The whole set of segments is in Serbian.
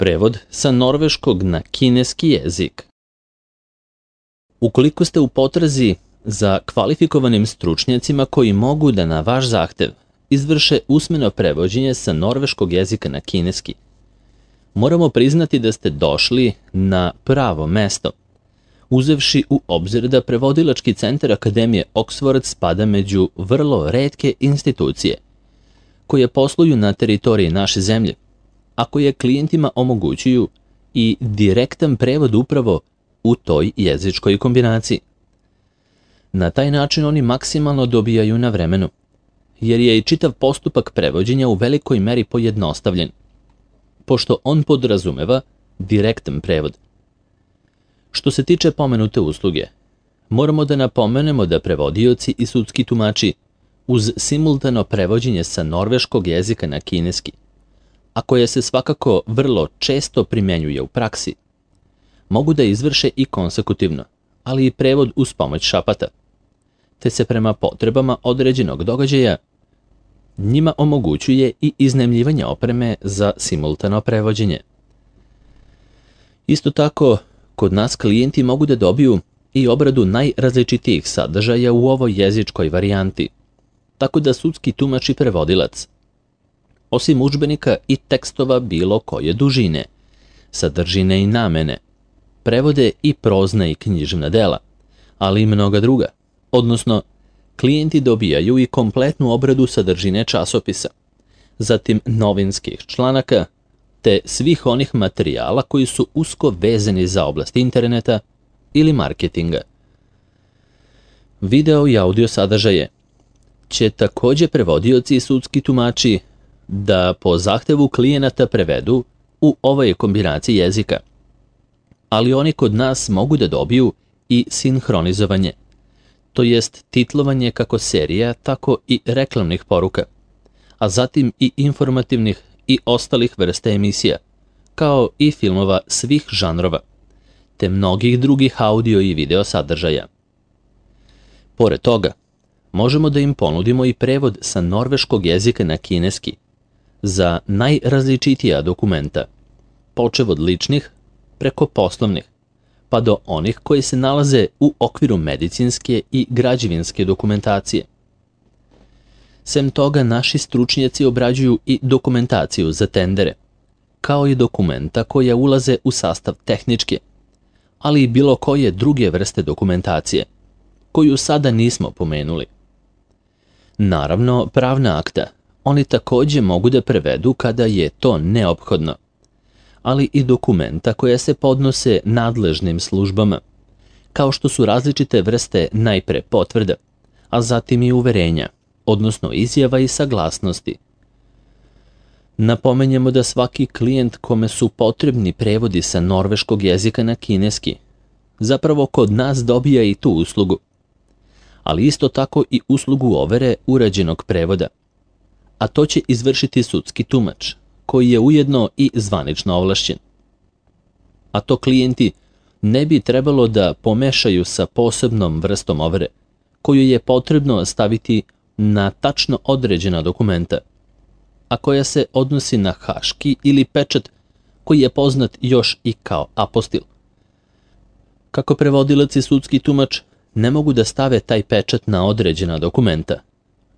Prevod sa norveškog na kineski jezik. Ukoliko ste u potrazi za kvalifikovanim stručnjacima koji mogu da na vaš zahtev izvrše usmeno prevođenje sa norveškog jezika na kineski, moramo priznati da ste došli na pravo mesto, uzevši u obzir da Prevodilački centar Akademije Oxford spada među vrlo retke institucije koje posluju na teritoriji naše zemlje, a koje klijentima omogućuju i direktan prevod upravo u toj jezičkoj kombinaciji. Na taj način oni maksimalno dobijaju na vremenu, jer je i čitav postupak prevođenja u velikoj meri pojednostavljen, pošto on podrazumeva direktan prevod. Što se tiče pomenute usluge, moramo da napomenemo da prevodioci i sudski tumači uz simultano prevođenje sa norveškog jezika na kineski, a koje se svakako vrlo često primenjuje u praksi, mogu da izvrše i konsekutivno, ali i prevod uz pomoć šapata, te se prema potrebama određenog događaja njima omogućuje i iznajmljivanje opreme za simultano prevođenje. Isto tako, kod nas klijenti mogu da dobiju i obradu najrazličitijih sadržaja u ovoj jezičkoj varijanti, tako da sudski tumač i prevodilac, osim udžbenika i tekstova bilo koje dužine, sadržine i namene, prevode i prozna i književna dela, ali i mnoga druga, odnosno klijenti dobijaju i kompletnu obradu sadržine časopisa, zatim novinskih članaka, te svih onih materijala koji su usko vezani za oblast interneta ili marketinga. Video i audio sadržaje će također prevodioci i sudski tumači da po zahtevu klijenata prevedu u ovoj kombinaciji jezika, ali oni kod nas mogu da dobiju i sinhronizovanje, to jest titlovanje kako serija, tako i reklamnih poruka, a zatim i informativnih i ostalih vrsta emisija, kao i filmova svih žanrova, te mnogih drugih audio i video sadržaja. Pored toga, možemo da im ponudimo i prevod sa norveškog jezika na kineski za najrazličitija dokumenta, počev od ličnih preko poslovnih, pa do onih koji se nalaze u okviru medicinske i građevinske dokumentacije. Sem toga, naši stručnjaci obrađuju i dokumentaciju za tendere, kao i dokumenta koja ulaze u sastav tehničke, ali i bilo koje druge vrste dokumentacije, koju sada nismo pomenuli. Naravno, pravna akta oni također mogu da prevedu kada je to neophodno, ali i dokumenta koja se podnose nadležnim službama, kao što su različite vrste najpre potvrda, a zatim i uverenja, odnosno izjava i saglasnosti. Napomenjemo da svaki klijent kome su potrebni prevodi sa norveškog jezika na kineski, zapravo kod nas dobija i tu uslugu, ali isto tako i uslugu overe urađenog prevoda, a to će izvršiti sudski tumač, koji je ujedno i zvanično ovlašćen. A to klijenti ne bi trebalo da pomešaju sa posebnom vrstom overe, koju je potrebno staviti na tačno određena dokumenta, a koja se odnosi na haški ili pečat koji je poznat još i kao apostil. Kako prevodilac i sudski tumač ne mogu da stave taj pečat na određena dokumenta,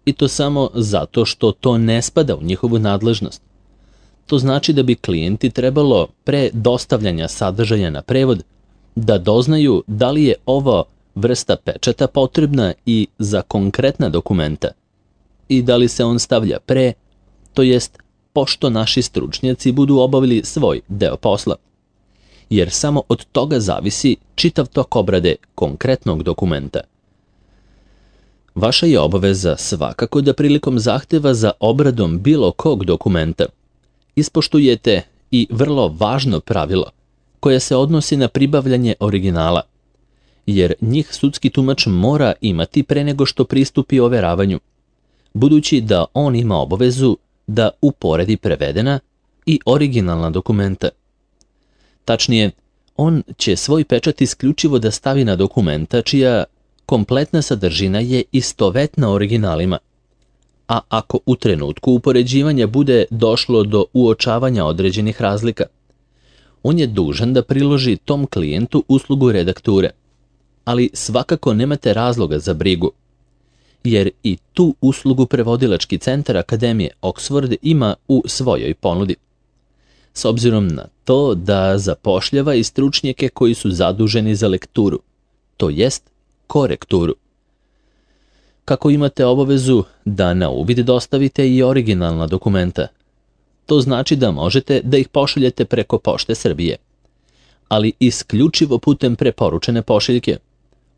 i to samo zato što to ne spada u njihovu nadležnost. To znači da bi klijenti trebalo pre dostavljanja sadržaja na prevod da doznaju da li je ova vrsta pečata potrebna i za konkretna dokumenta i da li se on stavlja pre, to jest pošto naši stručnjaci budu obavili svoj deo posla, jer samo od toga zavisi čitav tok obrade konkretnog dokumenta. Vaša je obaveza svakako da prilikom zahteva za obradom bilo kog dokumenta ispoštujete i vrlo važno pravilo koje se odnosi na pribavljanje originala, jer njih sudski tumač mora imati pre nego što pristupi overavanju, budući da on ima obavezu da uporedi prevedena i originalna dokumenta. Tačnije, on će svoj pečat isključivo da stavi na dokumenta čija kompletna sadržina je istovetna originalima, a ako u trenutku upoređivanja bude došlo do uočavanja određenih razlika, on je dužan da priloži tom klijentu uslugu redakture, ali svakako nemate razloga za brigu, jer i tu uslugu prevodilački centar Akademije Oxford ima u svojoj ponudi, s obzirom na to da zapošljava i stručnjake koji su zaduženi za lekturu, to jest korekturu. Kako imate obavezu da na uvid dostavite i originalna dokumenta, to znači da možete da ih pošaljete preko Pošte Srbije, ali isključivo putem preporučene pošiljke,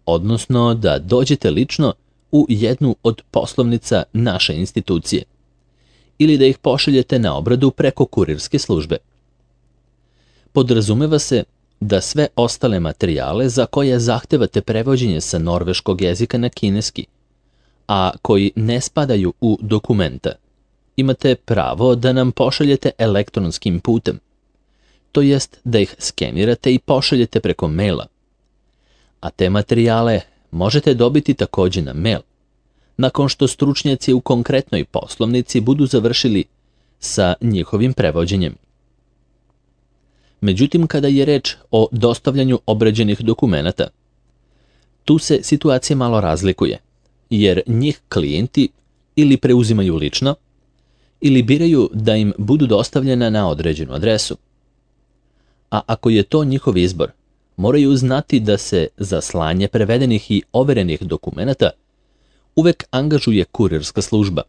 odnosno da dođete lično u jednu od poslovnica naše institucije, ili da ih pošaljete na obradu preko kurirske službe. Podrazumeva se da sve ostale materijale za koje zahtevate prevođenje sa norveškog jezika na kineski, a koji ne spadaju u dokumenta, imate pravo da nam pošaljete elektronskim putem, to jest da ih skenirate i pošaljete preko maila. A te materijale možete dobiti takođe na mail, nakon što stručnjaci u konkretnoj poslovnici budu završili sa njihovim prevođenjem. Međutim, kada je reč o dostavljanju obrađenih dokumenata, tu se situacija malo razlikuje, jer njih klijenti ili preuzimaju lično, ili biraju da im budu dostavljena na određenu adresu. A ako je to njihov izbor, moraju znati da se za slanje prevedenih i overenih dokumenata uvek angažuje kurirska služba,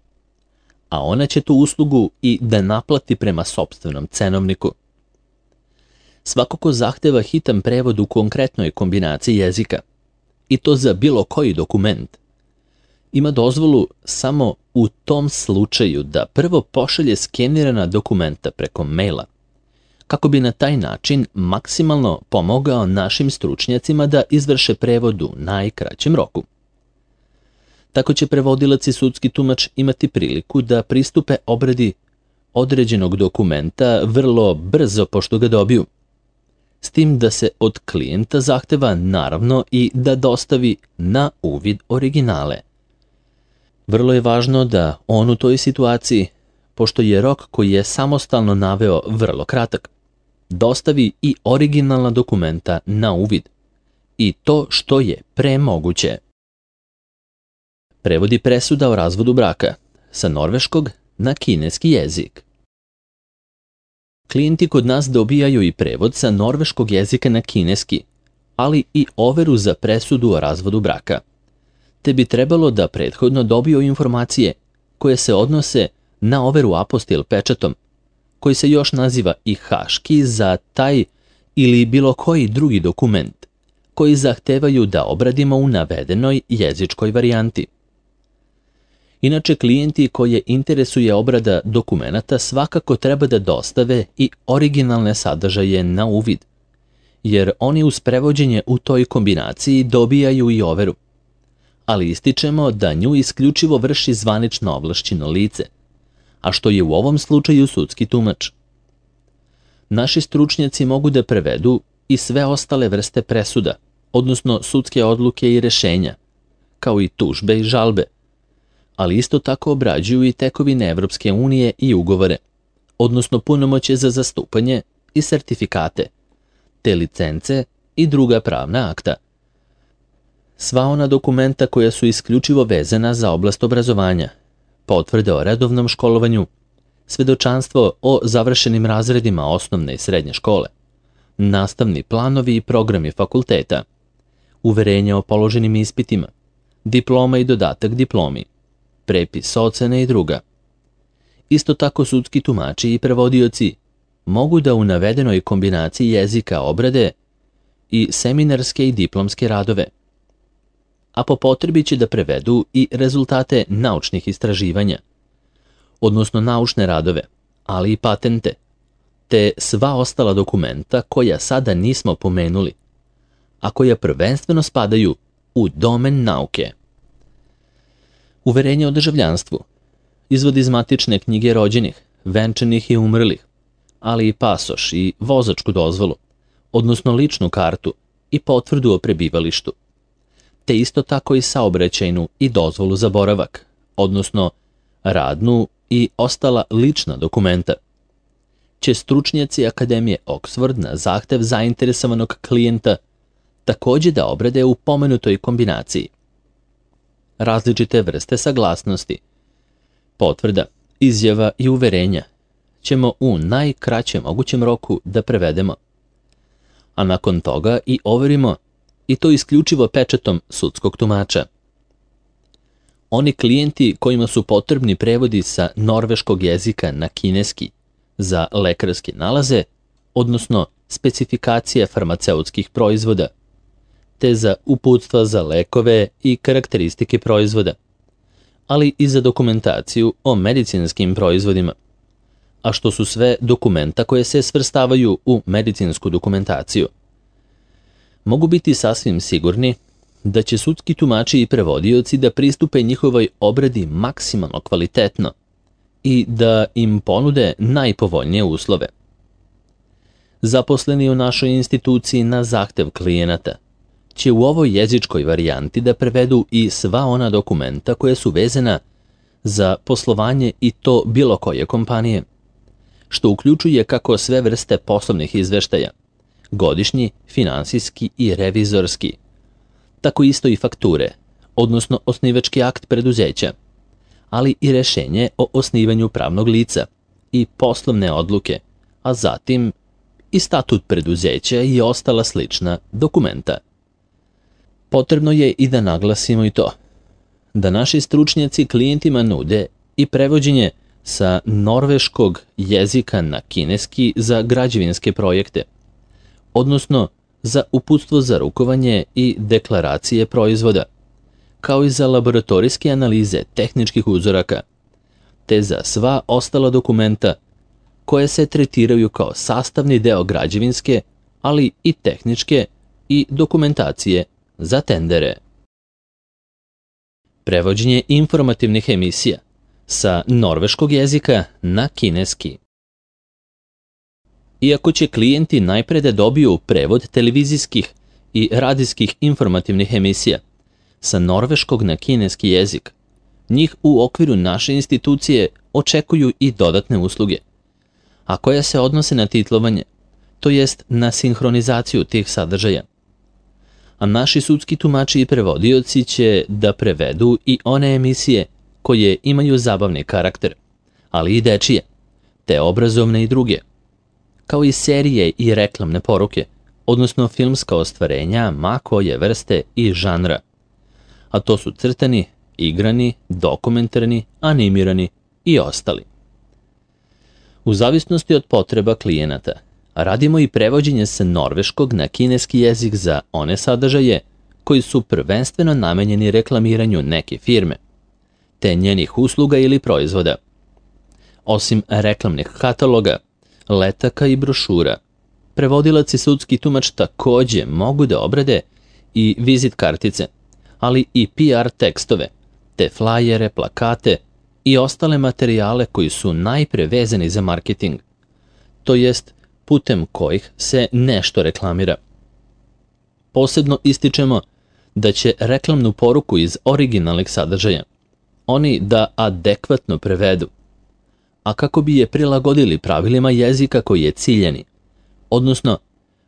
a ona će tu uslugu i da naplati prema sopstvenom cenovniku. Svako ko zahteva hitan prevod u konkretnoj kombinaciji jezika, i to za bilo koji dokument, ima dozvolu samo u tom slučaju da prvo pošalje skenirana dokumenta preko maila, kako bi na taj način maksimalno pomogao našim stručnjacima da izvrše prevod u najkraćem roku. Tako će prevodilac i sudski tumač imati priliku da pristupe obradi određenog dokumenta vrlo brzo pošto ga dobiju, s tim da se od klijenta zahteva naravno i da dostavi na uvid originale. Vrlo je važno da on u toj situaciji, pošto je rok koji je samostalno naveo vrlo kratak, dostavi i originalna dokumenta na uvid, i to što je pre moguće. Prevodi presuda o razvodu braka sa norveškog na kineski jezik. Klijenti kod nas dobijaju i prevod sa norveškog jezika na kineski, ali i overu za presudu o razvodu braka, te bi trebalo da prethodno dobiju informacije koje se odnose na overu apostil pečatom, koji se još naziva i haški za taj ili bilo koji drugi dokument, koji zahtevaju da obradimo u navedenoj jezičkoj varijanti. Inače, klijenti koje interesuje obrada dokumenata svakako treba da dostave i originalne sadržaje na uvid, jer oni uz prevođenje u toj kombinaciji dobijaju i overu, ali ističemo da nju isključivo vrši zvanično ovlašćeno lice, a što je u ovom slučaju sudski tumač. Naši stručnjaci mogu da prevedu i sve ostale vrste presuda, odnosno sudske odluke i rešenja, kao i tužbe i žalbe, ali isto tako obrađuju i tekovine Evropske unije i ugovore, odnosno punomoćje za zastupanje i sertifikate, te licence i druga pravna akta. Sva ona dokumenta koja su isključivo vezana za oblast obrazovanja, potvrde o redovnom školovanju, svedočanstvo o završenim razredima osnovne i srednje škole, nastavni planovi i programi fakulteta, uverenja o položenim ispitima, diploma i dodatak diplomi, prepis ocene i druga. Isto tako sudski tumači i prevodioci mogu da u navedenoj kombinaciji jezika obrade i seminarske i diplomske radove, a po potrebi će da prevedu i rezultate naučnih istraživanja, odnosno naučne radove, ali i patente, te sva ostala dokumenta koja sada nismo pomenuli, a koja prvenstveno spadaju u domen nauke. Uverenje o državljanstvu, izvod iz matične knjige rođenih, venčanih i umrlih, ali i pasoš i vozačku dozvolu, odnosno ličnu kartu i potvrdu o prebivalištu, te isto tako i saobraćajnu i dozvolu za boravak, odnosno radnu i ostala lična dokumenta. će stručnjaci Akademije Oxford na zahtev zainteresovanog klijenta također da obrade u pomenutoj kombinaciji. Različite vrste saglasnosti, potvrda, izjava i uverenja ćemo u najkraćem mogućem roku da prevedemo, a nakon toga i overimo, i to isključivo pečatom sudskog tumača. Oni klijenti kojima su potrebni prevodi sa norveškog jezika na kineski za lekarske nalaze, odnosno specifikacije farmaceutskih proizvoda, te za uputstva za lekove i karakteristike proizvoda, ali i za dokumentaciju o medicinskim proizvodima, a što su sve dokumenta koje se svrstavaju u medicinsku dokumentaciju. Mogu biti sasvim sigurni da će sudski tumači i prevodioci da pristupe njihovoj obradi maksimalno kvalitetno i da im ponude najpovoljnije uslove. Zaposleni u našoj instituciji na zahtev klijenata će u ovoj jezičkoj varijanti da prevedu i sva ona dokumenta koje su vezana za poslovanje i to bilo koje kompanije, što uključuje kako sve vrste poslovnih izveštaja, godišnji, finansijski i revizorski, tako isto i fakture, odnosno osnivački akt preduzeća, ali i rešenje o osnivanju pravnog lica i poslovne odluke, a zatim i statut preduzeća i ostala slična dokumenta. Potrebno je i da naglasimo i to, da naši stručnjaci klijentima nude i prevođenje sa norveškog jezika na kineski za građevinske projekte, odnosno za uputstvo za rukovanje i deklaracije proizvoda, kao i za laboratorijske analize tehničkih uzoraka, te za sva ostala dokumenta koje se tretiraju kao sastavni deo građevinske, ali i tehničke i dokumentacije za tendere. Prevođenje informativnih emisija sa norveškog jezika na kineski. Iako će klijenti najpre da dobiju prevod televizijskih i radijskih informativnih emisija sa norveškog na kineski jezik, njih u okviru naše institucije očekuju i dodatne usluge, a koje se odnose na titlovanje, to jest na sinhronizaciju tih sadržaja. A naši sudski tumači i prevodioci će da prevedu i one emisije koje imaju zabavni karakter, ali i dečije, te obrazovne i druge, kao i serije i reklamne poruke, odnosno filmska ostvarenja ma koje vrste i žanra, a to su crtani, igrani, dokumentarni, animirani i ostali. U zavisnosti od potreba klijenata, radimo i prevođenje sa norveškog na kineski jezik za one sadržaje koji su prvenstveno namenjeni reklamiranju neke firme, te njenih usluga ili proizvoda. Osim reklamnih kataloga, letaka i brošura, prevodilac i sudski tumač također mogu da obrade i vizit kartice, ali i PR tekstove, te flajere, plakate i ostale materijale koji su najpre vezani za marketing, to jest putem kojih se nešto reklamira. Posebno ističemo da će reklamnu poruku iz originalnih sadržaja oni da adekvatno prevedu, a kako bi je prilagodili pravilima jezika koji je ciljani, odnosno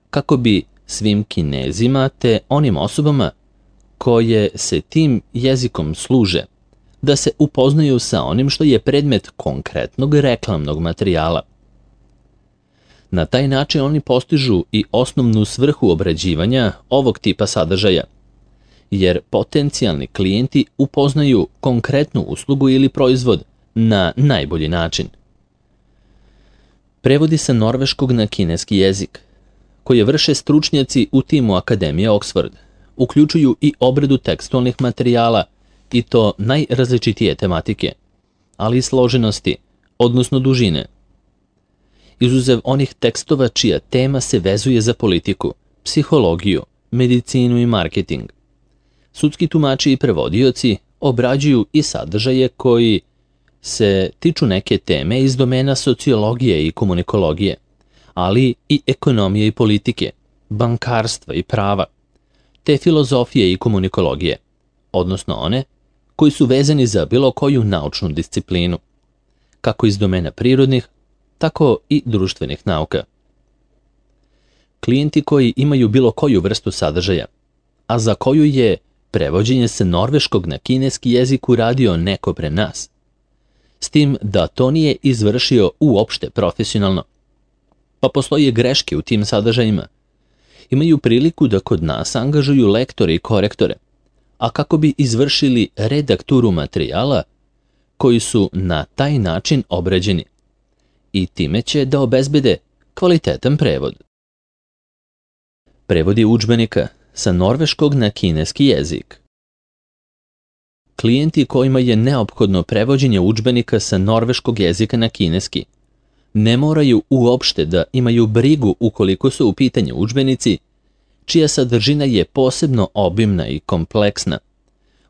kako bi svim Kinezima te onim osobama koje se tim jezikom služe, da se upoznaju sa onim što je predmet konkretnog reklamnog materijala. Na taj način oni postižu i osnovnu svrhu obrađivanja ovog tipa sadržaja, jer potencijalni klijenti upoznaju konkretnu uslugu ili proizvod na najbolji način. Prevodi sa norveškog na kineski jezik, koje vrše stručnjaci u timu Akademije Oxford, uključuju i obradu tekstualnih materijala i to najrazličitije tematike, ali i složenosti, odnosno dužine. Izuzev onih tekstova čija tema se vezuje za politiku, psihologiju, medicinu i marketing, sudski tumači i prevodioci obrađuju i sadržaje koji se tiču neke teme iz domena sociologije i komunikologije, ali i ekonomije i politike, bankarstva i prava, te filozofije i komunikologije, odnosno one koji su vezani za bilo koju naučnu disciplinu, kako iz domena prirodnih, tako i društvenih nauka. Klijenti koji imaju bilo koju vrstu sadržaja, a za koju je prevođenje sa norveškog na kineski jezik uradio neko pre nas, s tim da to nije izvršio uopšte profesionalno, pa postoje greške u tim sadržajima, imaju priliku da kod nas angažuju lektore i korektore, a kako bi izvršili redakturu materijala koji su na taj način obrađeni i time će da obezbede kvalitetan prevod. Prevodi udžbenika sa norveškog na kineski jezik. Klijenti kojima je neophodno prevođenje udžbenika sa norveškog jezika na kineski ne moraju uopšte da imaju brigu ukoliko su u pitanju udžbenici čija sadržina je posebno obimna i kompleksna,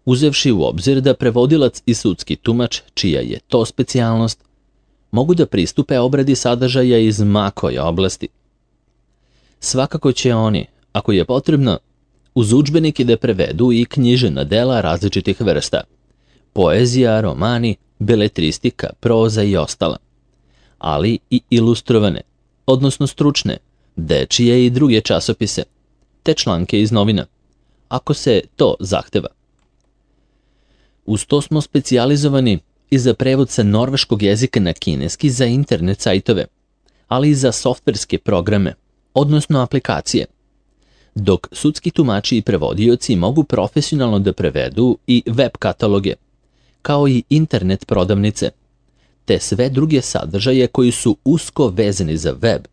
uzevši u obzir da prevodilac i sudski tumač, čija je to specijalnost, mogu da pristupe obradi sadržaja iz ma koje oblasti. Svakako će oni, ako je potrebno, uz udžbenike da prevedu i književna dela različitih vrsta, poezija, romani, beletristika, proza i ostala, ali i ilustrovane, odnosno stručne, dečije i druge časopise, te članke iz novina, ako se to zahteva. Uz to smo specijalizovani i za prevod sa norveškog jezika na kineski za internet sajtove, ali i za softverske programe, odnosno aplikacije, dok sudski tumači i prevodioci mogu profesionalno da prevedu i web kataloge, kao i internet prodavnice, te sve druge sadržaje koji su usko vezani za web.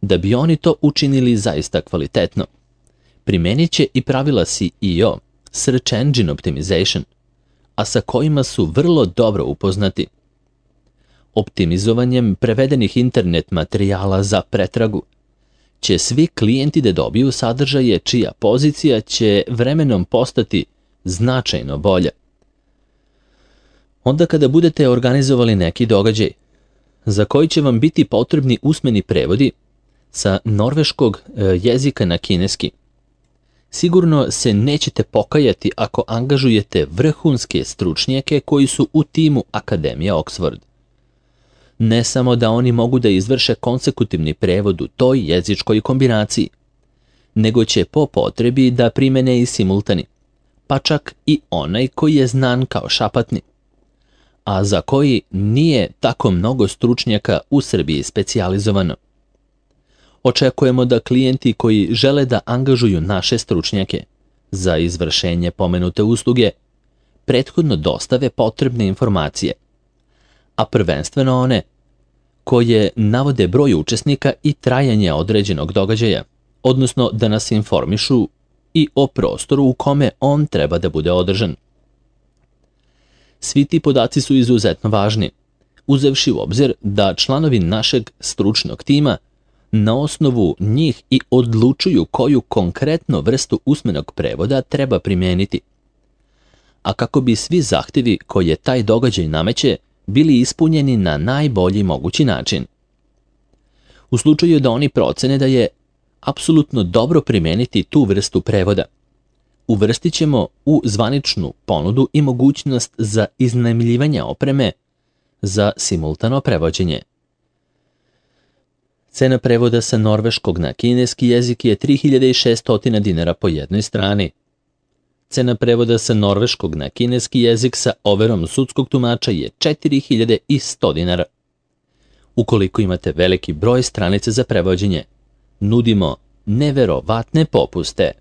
Da bi oni to učinili zaista kvalitetno, primenit će i pravila SEO, Search Engine Optimization, a sa kojima su vrlo dobro upoznati. Optimizovanjem prevedenih internet materijala za pretragu će svi klijenti da dobiju sadržaje čija pozicija će vremenom postati značajno bolja. Onda kada budete organizovali neki događaj, za koji će vam biti potrebni usmeni prevodi sa norveškog jezika na kineski, sigurno se nećete pokajati ako angažujete vrhunske stručnjake koji su u timu Akademije Oxford. Ne samo da oni mogu da izvrše konsekutivni prevod u toj jezičkoj kombinaciji, nego će po potrebi da primene i simultani, pa čak i onaj koji je znan kao šapatni, a za koji nije tako mnogo stručnjaka u Srbiji specijalizovano. Očekujemo da klijenti koji žele da angažuju naše stručnjake za izvršenje pomenute usluge prethodno dostave potrebne informacije, a prvenstveno one koje navode broj učesnika i trajanje određenog događaja, odnosno da nas informišu i o prostoru u kome on treba da bude održan. Svi ti podaci su izuzetno važni, uzevši u obzir da članovi našeg stručnog tima na osnovu njih i odlučuju koju konkretno vrstu usmenog prevoda treba primijeniti. A kako bi svi zahtevi koje taj događaj nameće bili ispunjeni na najbolji mogući način. U slučaju da oni procene da je apsolutno dobro primijeniti tu vrstu prevoda, uvrstit ćemo u zvaničnu ponudu i mogućnost za iznajmljivanje opreme za simultano prevođenje. Cena prevoda sa norveškog na kineski jezik je 3600 dinara po jednoj strani. Cena prevoda sa norveškog na kineski jezik sa overom sudskog tumača je 4100 dinara. Ukoliko imate veliki broj stranica za prevođenje, nudimo neverovatne popuste.